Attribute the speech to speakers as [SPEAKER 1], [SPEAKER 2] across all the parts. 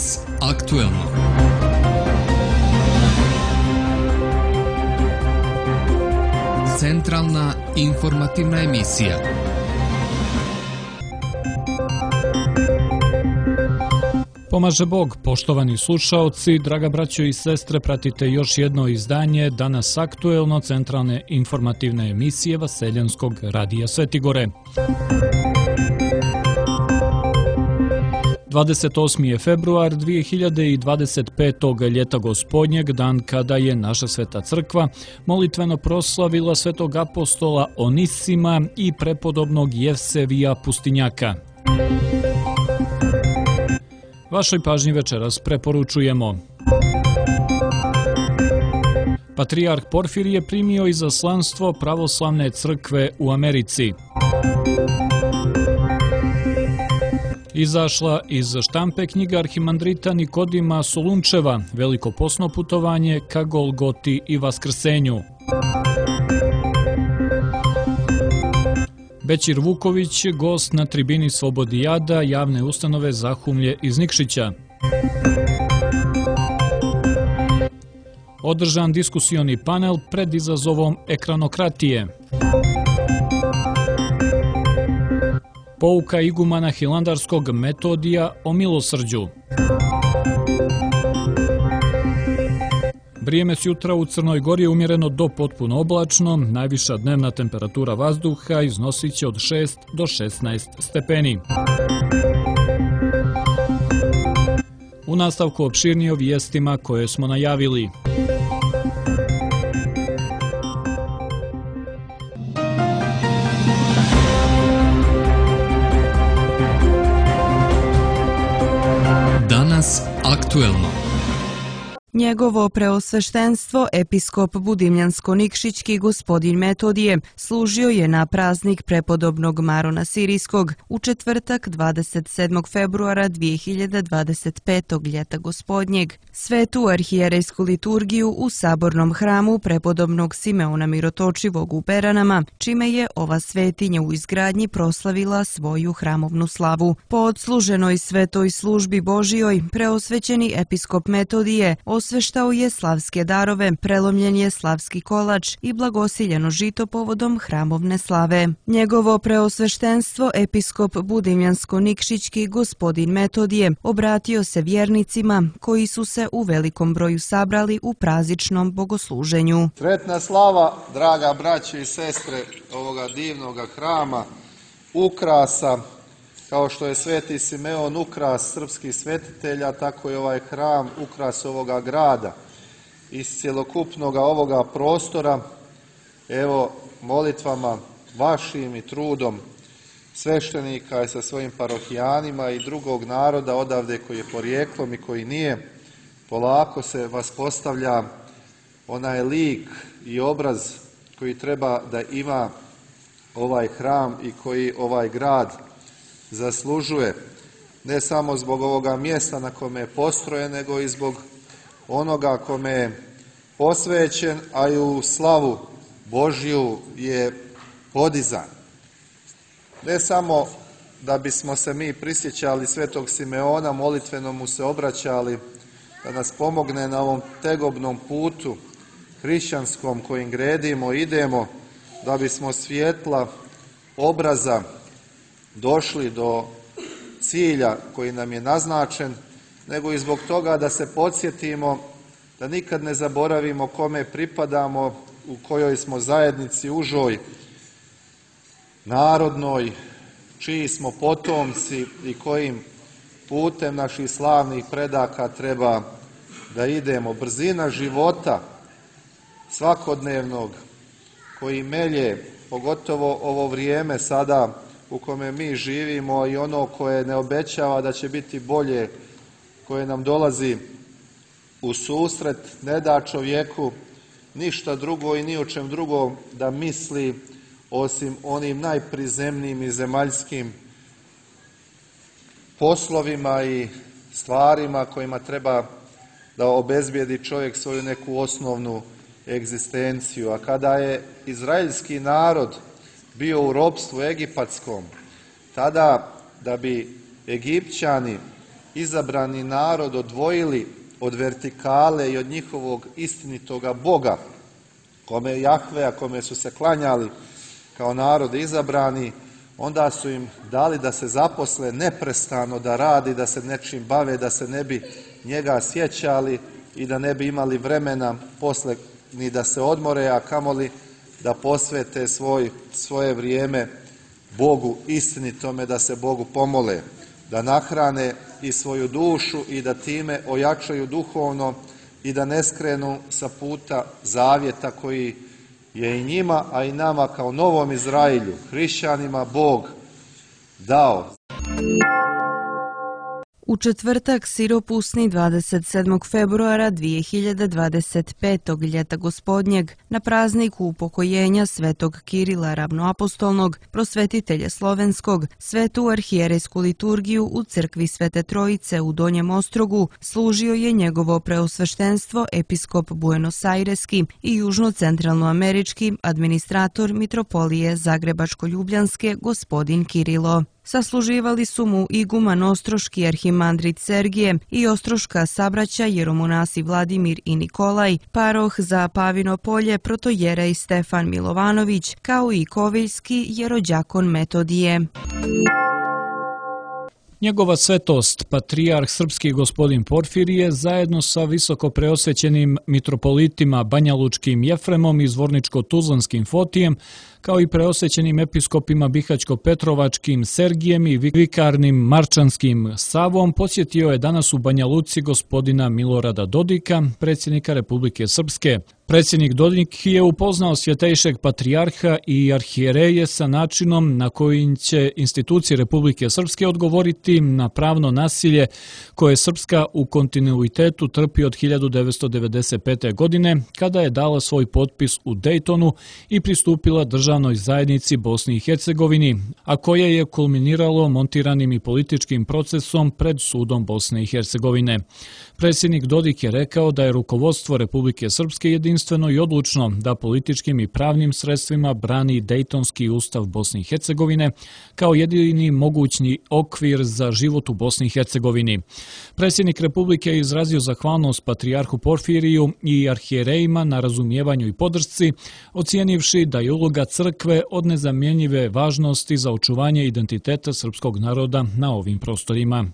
[SPEAKER 1] Danas aktuelno. Centralna informativna emisija.
[SPEAKER 2] Pomaže Bog, poštovani slušaoci, draga braćo i sestre, pratite još jedno izdanje Danas aktuelno centralne informativne emisije Vaseljenskog radija Svetigore. 28. je februar 2025. ljeta gospodnjeg, dan kada je naša sveta crkva molitveno proslavila svetog apostola Onisima i prepodobnog Jevsevija Pustinjaka. Vašoj pažnji večeras preporučujemo. Patrijarh Porfirije primio izaslanstvo pravoslavne crkve u Americi. Izašla iz štampe knjiga arhimandrita Nikodima Solunčeva, veliko posno putovanje ka Golgoti i Vaskrsenju. Bećir Vuković, gost na tribini Slobodijada javne ustanove Zahumlje iz Nikšića. Održan diskusioni panel pred izazovom ekranokratije. Pouka igumana hilandarskog Metodija o milosrđu. Vrijeme s jutra u Crnoj Gori je umjereno do potpuno oblačno, najviša dnevna temperatura vazduha iznosit će od 6 do 16 stepeni. U nastavku opširnije o vijestima koje smo najavili.
[SPEAKER 1] Danas aktuelno.
[SPEAKER 3] Njegovo preosveštenstvo, episkop Budimljansko-Nikšićki gospodin Metodije, služio je na praznik prepodobnog Marona Sirijskog u četvrtak 27. februara 2025. ljeta gospodnjeg. Svetu arhijerejsku liturgiju u sabornom hramu prepodobnog Simeona Mirotočivog u Beranama, čime je ova svetinja u izgradnji proslavila svoju hramovnu slavu. Po odsluženoj svetoj službi Božijoj, preosvećeni episkop Metodije osveštao je slavske darove, prelomljen je slavski kolač i blagosiljeno žito povodom hramovne slave. Njegovo preosveštenstvo, episkop Budimljansko-Nikšićki gospodin Metodije, obratio se vjernicima koji su se u velikom broju sabrali u prazničnom bogosluženju.
[SPEAKER 4] Sretna slava, draga braćo i sestre ovoga divnoga hrama, ukrasa, kao što je sveti Simeon ukras srpskih svetitelja, tako je ovaj hram ukras ovoga grada. Iz cjelokupnog ovoga prostora, evo, molitvama vašim i trudom sveštenika i sa svojim parohijanima i drugog naroda odavde koji je porijeklom i koji nije, polako se vaspostavlja onaj lik i obraz koji treba da ima ovaj hram i koji ovaj grad zaslužuje, ne samo zbog ovoga mjesta na kome je postrojen, nego i zbog onoga kome je posvećen, a i u slavu Božju je podizan. Ne samo da bismo se mi prisjećali svetog Simeona, molitveno mu se obraćali, da nas pomogne na ovom tegobnom putu hrišćanskom kojim gredimo, idemo, da bismo svjetla obraza došli do cilja koji nam je naznačen, nego i zbog toga da se podsjetimo, da nikad ne zaboravimo kome pripadamo, u kojoj smo zajednici užoj, narodnoj, čiji smo potomci i kojim putem naših slavnih predaka treba da idemo. Brzina života svakodnevnog koji melje, pogotovo ovo vrijeme sada u kome mi živimo i ono koje ne obećava da će biti bolje, koje nam dolazi u susret, ne da čovjeku ništa drugo i ni o čem drugom da misli osim onim najprizemnijim i zemaljskim poslovima i stvarima kojima treba da obezbijedi čovjek svoju neku osnovnu egzistenciju. A kada je izraelski narod bio u ropstvu egipatskom, tada da bi Egipćani izabrani narod odvojili od vertikale i od njihovog istinitoga Boga, kome Jahvea, kome su se klanjali kao narod izabrani, onda su im dali da se zaposle neprestano, da radi, da se nečim bave, da se ne bi njega sjećali i da ne bi imali vremena posle ni da se odmore, a kamoli da posvete svoje vrijeme Bogu istinitome, da se Bogu pomole, da nahrane i svoju dušu i da time ojačaju duhovno i da ne skrenu sa puta zavjeta koji je i njima, a i nama kao novom Izraelju, hrišćanima, Bog dao.
[SPEAKER 3] U četvrtak siropusni 27. februara 2025. ljeta gospodnjeg, na prazniku upokojenja svetog Kirila ravnoapostolnog, prosvetitelja slovenskog, svetu arhijerejsku liturgiju u crkvi Svete Trojice u Donjem Ostrogu služio je njegovo preosveštenstvo episkop Buenos-Aireski i južno-centralnoamerički administrator mitropolije Zagrebačko-Ljubljanske gospodin Kirilo. Sasluživali su mu iguman ostroški arhimandrit Sergije i ostroška sabraća jeromonasi Vladimir i Nikolaj, paroh za Pavino polje protojerej Stefan Milovanović, kao i koviljski jerođakon Metodije.
[SPEAKER 2] Njegova svetost, patrijarh srpski gospodin Porfirije, zajedno sa visoko preosvećenim mitropolitima Banjalučkim Jefremom i Zvorničko-Tuzlanskim Fotijem, kao i preosvećenim episkopima Bihaćko-Petrovačkim Sergijem i vikarnim Marčanskim Savom, posjetio je danas u Banja Luci gospodina Milorada Dodika, predsjednika Republike Srpske. Predsjednik Dodik je upoznao svjetejšeg patrijarha i arhijereje sa načinom na koji će institucije Republike Srpske odgovoriti na pravno nasilje koje Srpska u kontinuitetu trpi od 1995. godine, kada je dala svoj potpis u Dejtonu i pristupila državnoj zajednici Bosni i Hercegovini, a koje je kulminiralo montiranim i političkim procesom pred sudom Bosne i Hercegovine. Predsjednik Dodik je rekao da je rukovodstvo Republike Srpske jedinstveno i odlučno da političkim i pravnim sredstvima brani Dejtonski ustav Bosne i Hercegovine kao jedini mogućni okvir za život u Bosni i Hercegovini. Predsjednik Republike je izrazio zahvalnost patrijarhu Porfiriju i arhijerejima na razumijevanju i podršci, ocijenivši da je uloga crkve od nezamjenjive važnosti za očuvanje identiteta srpskog naroda na ovim prostorima.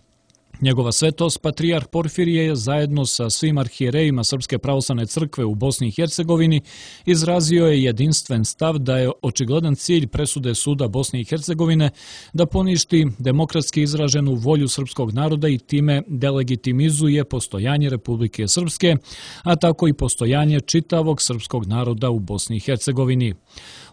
[SPEAKER 2] Njegova svetost, patrijarh Porfirije, je zajedno sa svim arhijerejima Srpske pravoslavne crkve u Bosni i Hercegovini izrazio je jedinstven stav da je očigledan cilj presude suda Bosne i Hercegovine da poništi demokratski izraženu volju srpskog naroda i time delegitimizuje postojanje Republike Srpske, a tako i postojanje čitavog srpskog naroda u Bosni i Hercegovini.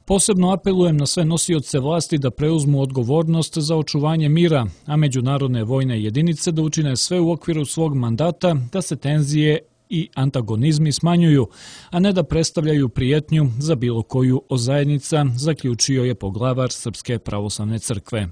[SPEAKER 2] Posebno apelujem na sve nosioce vlasti da preuzmu odgovornost za očuvanje mira, a međunarodne vojne jedinice da učine sve u okviru svog mandata da se tenzije i antagonizmi smanjuju, a ne da predstavljaju prijetnju za bilo koju od zajednica, zaključio je poglavar Srpske pravoslavne crkve.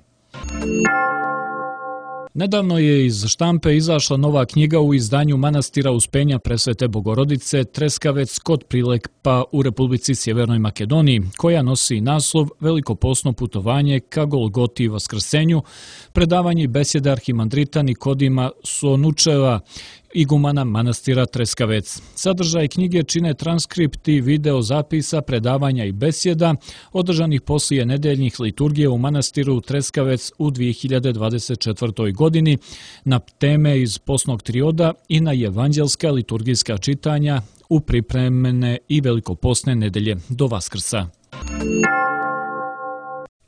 [SPEAKER 2] Nedavno je iz štampe izašla nova knjiga u izdanju manastira Uspenja Presvete Bogorodice Treskavec kod Prilepa u Republici Sjevernoj Makedoniji, koja nosi naslov Velikoposno putovanje ka Golgoti i Vaskrsenju, predavanje i besjede arhimandrita Nikodima Sonučeva, igumana manastira Treskavec. Sadržaj knjige čine transkripti video zapisa, predavanja i besjeda održanih poslije nedeljnih liturgije u manastiru Treskavec u 2024. godini na teme iz posnog trioda i na evanđelska liturgijska čitanja u pripremene i velikoposne nedelje do Vaskrsa.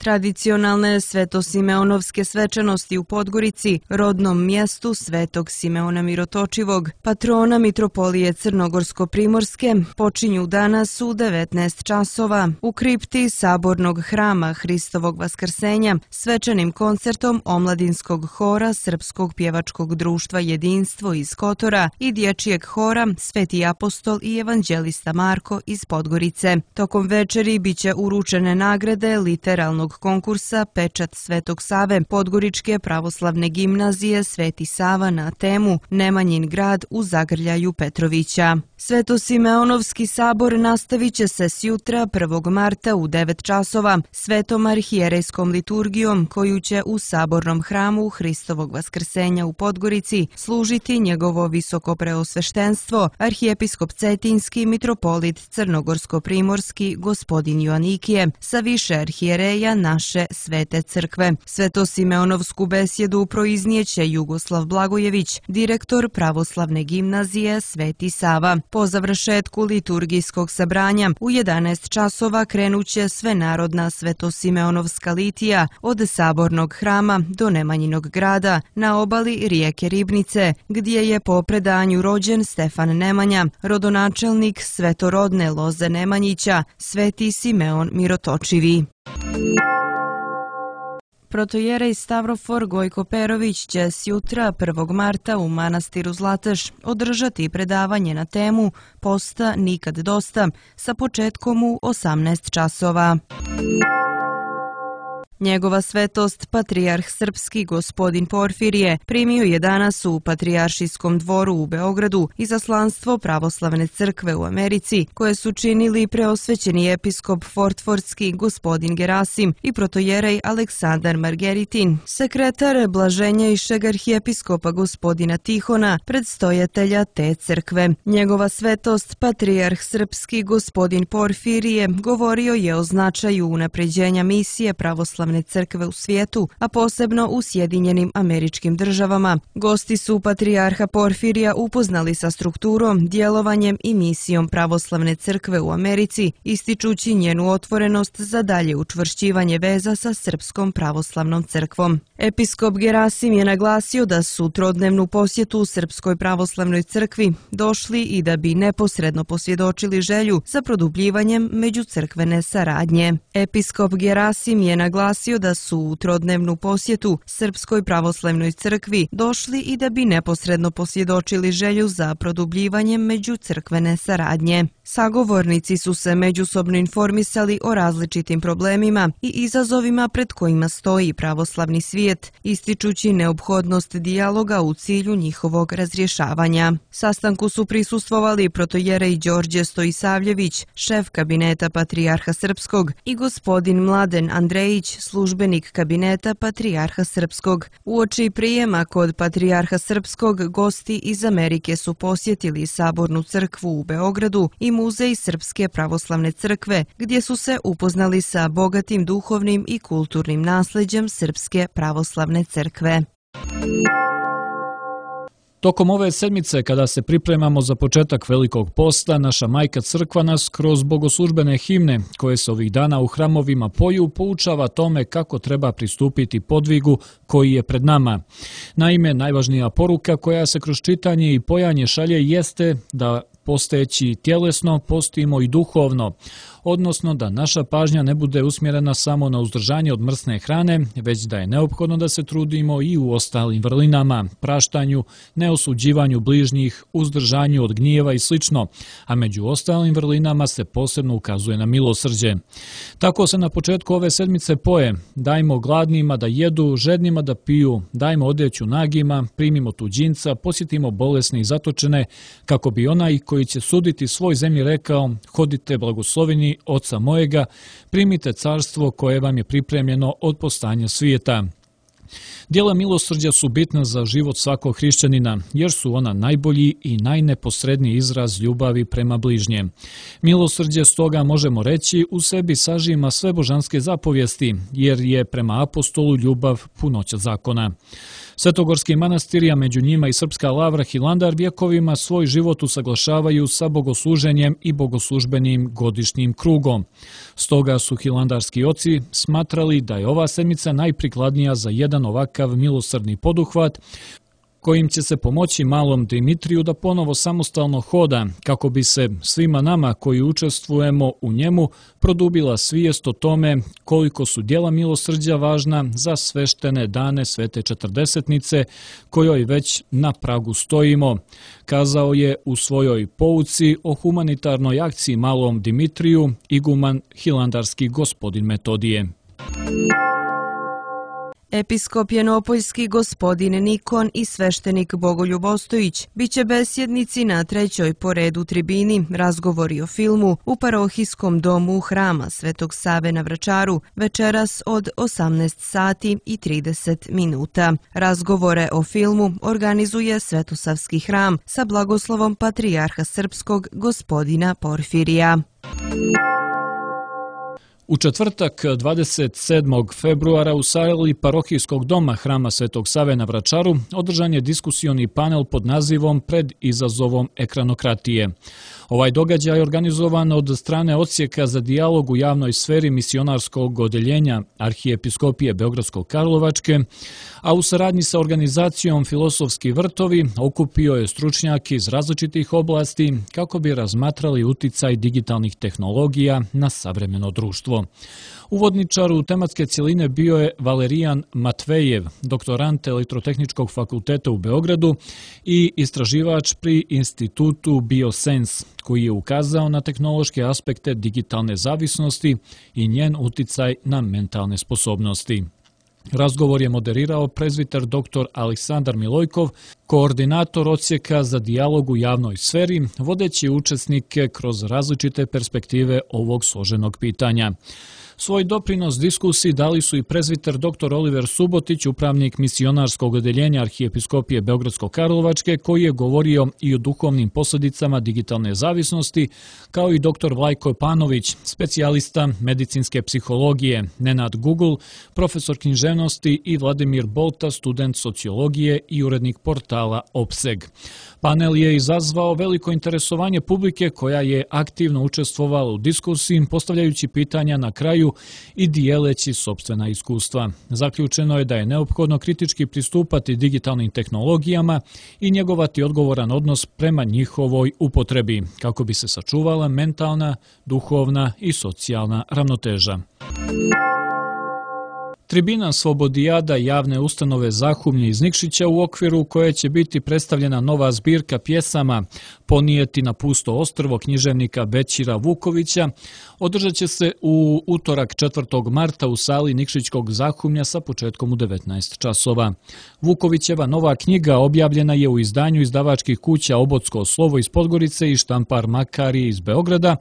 [SPEAKER 3] Tradicionalne svetosimeonovske svečanosti u Podgorici, rodnom mjestu Svetog Simeona Mirotočivog, patrona mitropolije Crnogorsko-Primorske, počinju danas u 19 časova u kripti Sabornog hrama Hristovog Vaskrsenja svečanim koncertom omladinskog hora Srpskog pjevačkog društva Jedinstvo iz Kotora i dječjeg hora Sveti apostol i evanđelista Marko iz Podgorice. Tokom večeri biće uručene nagrade literalnog kulturnog konkursa Pečat Svetog Save Podgoričke pravoslavne gimnazije Sveti Sava na temu Nemanjin grad u zagrljaju Petrovića. Svetosimeonovski sabor nastavit će se sjutra 1. marta u 9 časova svetom arhijerejskom liturgijom koju će u sabornom hramu Hristovog vaskrsenja u Podgorici služiti njegovo visoko preosveštenstvo arhijepiskop Cetinski mitropolit Crnogorsko-primorski gospodin Joanikije sa više arhijereja naše Svete crkve. Svetosimeonovsku besjedu proiznijeće Jugoslav Blagojević, direktor pravoslavne gimnazije Sveti Sava. Po završetku liturgijskog sabranja u 11 časova krenuće svenarodna Svetosimeonovska litija od sabornog hrama do Nemanjinog grada na obali rijeke Ribnice, gdje je po predanju rođen Stefan Nemanja, rodonačelnik svetorodne loze Nemanjića, Sveti Simeon Mirotočivi. Protojerej Stavrofor Gojko Perović će sjutra 1. marta u manastiru Zlateš održati predavanje na temu Posta nikad dosta sa početkom u 18 časova. Njegova svetost, patrijarh srpski gospodin Porfirije, primio je danas u Patrijaršijskom dvoru u Beogradu izaslanstvo pravoslavne crkve u Americi, koje su činili preosvećeni episkop Fortfordski gospodin Gerasim i protojerej Aleksandar Margeritin, sekretar blaženjejšeg arhijepiskopa gospodina Tihona, predstojatelja te crkve. Njegova svetost, patrijarh srpski gospodin Porfirije, govorio je o značaju unapređenja misije pravoslavne crkve u svijetu, a posebno u Sjedinjenim Američkim Državama. Gosti su patrijarha Porfirija upoznali sa strukturom, djelovanjem i misijom pravoslavne crkve u Americi, ističući njenu otvorenost za dalje učvršćivanje veza sa Srpskom pravoslavnom crkvom. Episkop Gerasim je naglasio da su trodnevnu posjetu u Srpskoj pravoslavnoj crkvi došli i da bi neposredno posvjedočili želju za produbljivanjem međucrkvene saradnje. Episkop Gerasim je naglasio da su u trodnevnu posjetu Srpskoj pravoslavnoj crkvi došli i da bi neposredno posvjedočili želju za produbljivanjem međucrkvene saradnje. Sagovornici su se međusobno informisali o različitim problemima i izazovima pred kojima stoji pravoslavni svijet, ističući neophodnost dijaloga u cilju njihovog razrješavanja. Sastanku su prisustvovali protojerej Đorđe Stojisavljević, šef kabineta Patrijarha Srpskog, i gospodin Mladen Andrejić, službenik kabineta Patrijarha Srpskog. Uoči prijema kod Patrijarha Srpskog gosti iz Amerike su posjetili Sabornu crkvu u Beogradu i Muzej Srpske pravoslavne crkve, gdje su se upoznali sa bogatim duhovnim i kulturnim nasljeđem Srpske pravoslavne crkve.
[SPEAKER 2] Tokom ove sedmice, kada se pripremamo za početak Velikog posta, naša Majka Crkva nas kroz bogoslužbene himne, koje se ovih dana u hramovima poju, poučava tome kako treba pristupiti podvigu koji je pred nama. Naime, najvažnija poruka koja se kroz čitanje i pojanje šalje jeste da posteći tjelesno, postimo i duhovno, odnosno da naša pažnja ne bude usmjerena samo na uzdržanje od mrsne hrane, već da je neophodno da se trudimo i u ostalim vrlinama, praštanju, neosuđivanju bližnjih, uzdržanju od gnjeva i sl., a među ostalim vrlinama se posebno ukazuje na milosrđe. Tako se na početku ove sedmice poje: dajmo gladnima da jedu, žednima da piju, dajmo odjeću nagima, primimo tuđinca, posjetimo bolesne i zatočene, kako bi onaj koji će suditi svoj zemlji rekao: hodite blagosloveni Oca mojega, primite carstvo koje vam je pripremljeno od postanja svijeta. Djela milosrđa su bitna za život svakog hrišćanina, jer su ona najbolji i najneposredniji izraz ljubavi prema bližnjem. Milosrđe, stoga možemo reći, u sebi sažima sve božanske zapovijesti, jer je prema apostolu ljubav punoća zakona. Svetogorski manastiri, a među njima i Srpska lavra Hilandar, vjekovima svoj život usaglašavaju sa bogosluženjem i bogoslužbenim godišnjim krugom. Stoga su hilandarski oci smatrali da je ova sedmica najprikladnija za jedan ovakav milosrdni poduhvat, kojim će se pomoći malom Dimitriju da ponovo samostalno hoda, kako bi se svima nama koji učestvujemo u njemu produbila svijest o tome koliko su djela milosrđa važna za sveštene dane Svete Četrdesetnice, kojoj već na pragu stojimo, kazao je u svojoj pouci o humanitarnoj akciji malom Dimitriju iguman hilandarski gospodin Metodije.
[SPEAKER 3] Episkop Jenopoljski gospodin Nikon i sveštenik Bogoljub Ostojić biće besjednici na 3. po redu tribini razgovori o filmu u parohijskom domu Hrama Svetog Save na Vračaru večeras od 18 sati i 30 minuta. Razgovore o filmu organizuje Svetosavski hram sa blagoslovom patrijarha srpskog gospodina Porfirija.
[SPEAKER 2] U četvrtak 27. februara u sali parohijskog doma Hrama Svetog Save na Vračaru održan je diskusioni panel pod nazivom Pred izazovom ekranokratije. Ovaj događaj je organizovan od strane Odsjeka za dijalog u javnoj sferi misionarskog odeljenja Arhijepiskopije Beogradsko-Karlovačke, a u saradnji sa organizacijom Filosofski vrtovi okupio je stručnjake iz različitih oblasti kako bi razmatrali uticaj digitalnih tehnologija na savremeno društvo. Uvodničar u tematske cjeline bio je Valerijan Matvejev, doktorant Elektrotehničkog fakulteta u Beogradu i istraživač pri institutu Biosens, koji je ukazao na tehnološke aspekte digitalne zavisnosti i njen uticaj na mentalne sposobnosti. Razgovor je moderirao prezbiter dr. Aleksandar Milojkov, koordinator Odsjeka za dijalog u javnoj sferi, vodeći učesnike kroz različite perspektive ovog složenog pitanja. Svoj doprinos diskusiji dali su i prezbiter dr. Oliver Subotić, upravnik misionarskog odeljenja Arhijepiskopije Beogradsko-Karlovačke, koji je govorio i o duhovnim posljedicama digitalne zavisnosti, kao i dr. Vlajko Panović, specijalista medicinske psihologije, Nenad Gugul, profesor književnosti i Vladimir Bolta, student sociologije i urednik portala Opseg. Panel je izazvao veliko interesovanje publike koja je aktivno učestvovala u diskusiji, postavljajući pitanja na kraju i dijeleći sopstvena iskustva. Zaključeno je da je neophodno kritički pristupati digitalnim tehnologijama i njegovati odgovoran odnos prema njihovoj upotrebi, kako bi se sačuvala mentalna, duhovna i socijalna ravnoteža. Tribina Slobodijada javne ustanove Zahumlje iz Nikšića, u okviru koje će biti predstavljena nova zbirka pjesama Ponijeti na pusto ostrvo književnika Bećira Vukovića, održat će se u utorak 4. marta u sali Nikšićkog Zahumlja sa početkom u 19 časova. Vukovićeva nova knjiga objavljena je u izdanju izdavačkih kuća Obotsko slovo iz Podgorice i Štampar Makari iz Beograda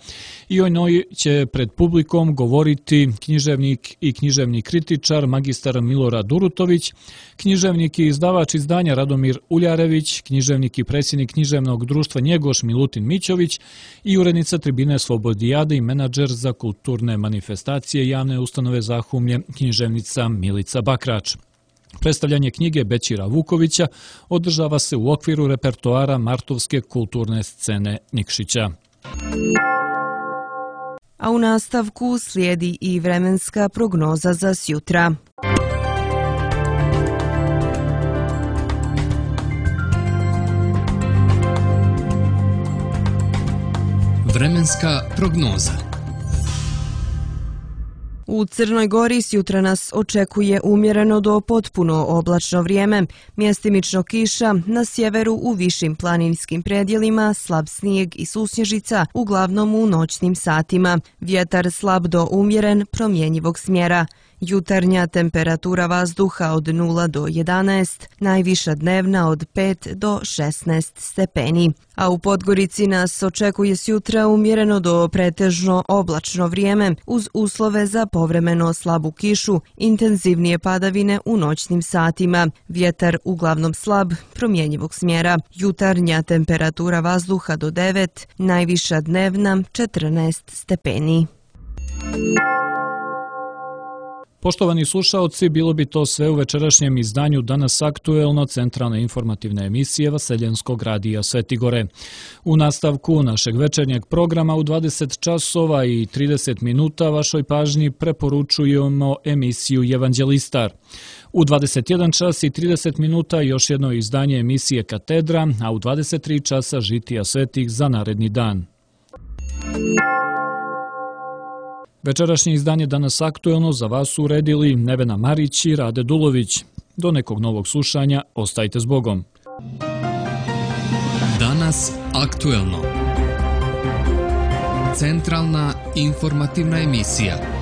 [SPEAKER 2] i o njoj će pred publikom govoriti književnik i književni kritičar magistar Milorad Durutović, književnik i izdavač izdanja Radomir Uljarević, književnik i predsjednik književnog društva Njegoš Milutin Mićović i urednica Tribine Slobodijade i menadžer za kulturne manifestacije javne ustanove Zahumlje, književnica Milica Bakrač. Predstavljanje knjige Bećira Vukovića održava se u okviru repertoara Martovske kulturne scene Nikšića.
[SPEAKER 3] A u nastavku slijedi i vremenska prognoza za sjutra.
[SPEAKER 1] Vremenska prognoza.
[SPEAKER 3] U Crnoj Gori sjutra nas očekuje umjereno do potpuno oblačno vrijeme, mjestimično kiša, na sjeveru u višim planinskim predjelima slab snijeg i susnježica, uglavnom u noćnim satima. Vjetar slab do umjeren, promjenjivog smjera. Jutarnja temperatura vazduha od 0 do 11, najviša dnevna od 5 do 16 stepeni. A u Podgorici nas očekuje sjutra umjereno do pretežno oblačno vrijeme uz uslove za povremeno slabu kišu, intenzivnije padavine u noćnim satima. Vjetar uglavnom slab, promjenjivog smjera. Jutarnja temperatura vazduha do 9, najviša dnevna 14 stepeni.
[SPEAKER 2] Poštovani slušaoci, bilo bi to sve u večerašnjem izdanju Danas aktuelno centralne informativne emisije Vaseljenskog radija Svetigore. U nastavku našeg večernjeg programa u 20 časova i 30 minuta vašoj pažnji preporučujemo emisiju Evanđelistar. U 21 čas i 30 minuta još jedno izdanje emisije Katedra, a u 23 časa Žitija svetih za naredni dan. Večerašnje izdanje Danas aktuelno za vas su uredili Nevena Marić i Rade Dulović. Do nekog novog slušanja, ostajte s Bogom.
[SPEAKER 1] Danas aktuelno. Centralna informativna emisija.